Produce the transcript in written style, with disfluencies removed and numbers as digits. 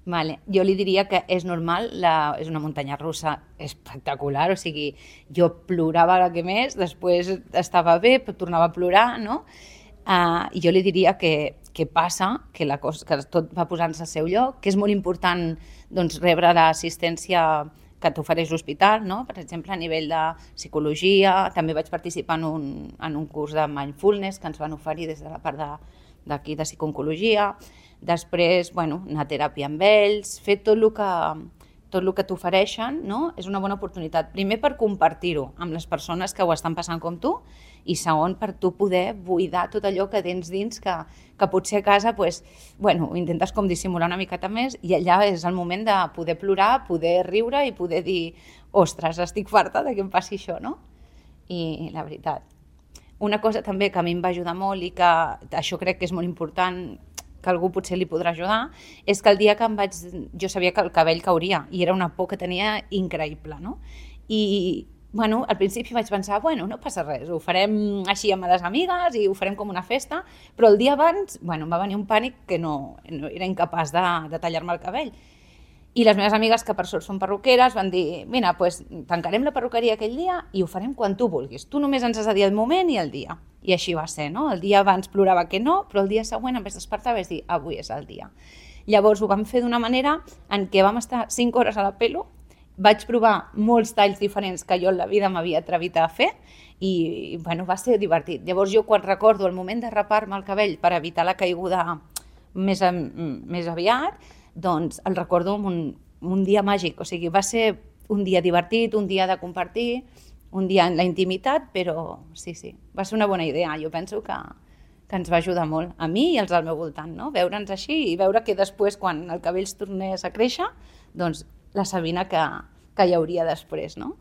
Vale. Jo li diria que és normal, és una muntanya russa espectacular, o sigui, jo plorava la que més, després estava bé, però tornava a plorar, no? Jo li diria que passa, que tot va posant-se al seu lloc, que és molt important doncs, rebre l'assistència que t'ofereix l'hospital, no? Per exemple, a nivell de psicologia, també vaig participar en un curs de mindfulness que ens van oferir des de la part d'aquí de psicologia. Després, bueno, anar a teràpia amb ells, fer tot el que t'ofereixen, no? És una bona oportunitat. Primer per compartir-ho amb les persones que ho estan passant com tu i segon per tu poder buidar tot allò que tens dins que potser a casa pues, bueno, intentes com dissimular una miqueta més i allà és el moment de poder plorar, poder riure i poder dir ostres, estic farta de que em passi això, no? I la veritat. Una cosa també que a mi em va ajudar molt i que això crec que és molt important que algú potser li podrà ajudar, és que el dia que jo sabia que el cabell cauria i era una por que tenia increïble, no? I bueno, al principi vaig pensar, bueno, no passa res, ho farem així amb les amigues i ho farem com una festa, però el dia abans, bueno, em va venir un pànic que no era incapaç de tallar-me el cabell. I les meves amigues, que per sort són perruqueres, van dir, mira, pues, tancarem la perruqueria aquell dia i ho farem quan tu vulguis. Tu només ens has de dir el moment i el dia. I així va ser, no? El dia abans plorava que no, però el dia següent em vaig despertar i vaig dir, avui és el dia. Llavors ho vam fer d'una manera en què vam estar 5 hores a la pelo, vaig provar molts talls diferents que jo en la vida m'havia atrevit a fer i bueno, va ser divertit. Llavors jo quan recordo el moment de rapar-me el cabell per evitar la caiguda més aviat, doncs el recordo amb un dia màgic, o sigui, va ser un dia divertit, un dia de compartir, un dia en la intimitat, però sí, va ser una bona idea. Jo penso que ens va ajudar molt, a mi i als del meu voltant, no? Veure'ns així i veure que després, quan el cabell es tornés a créixer, doncs la Sabina que hi hauria després, no?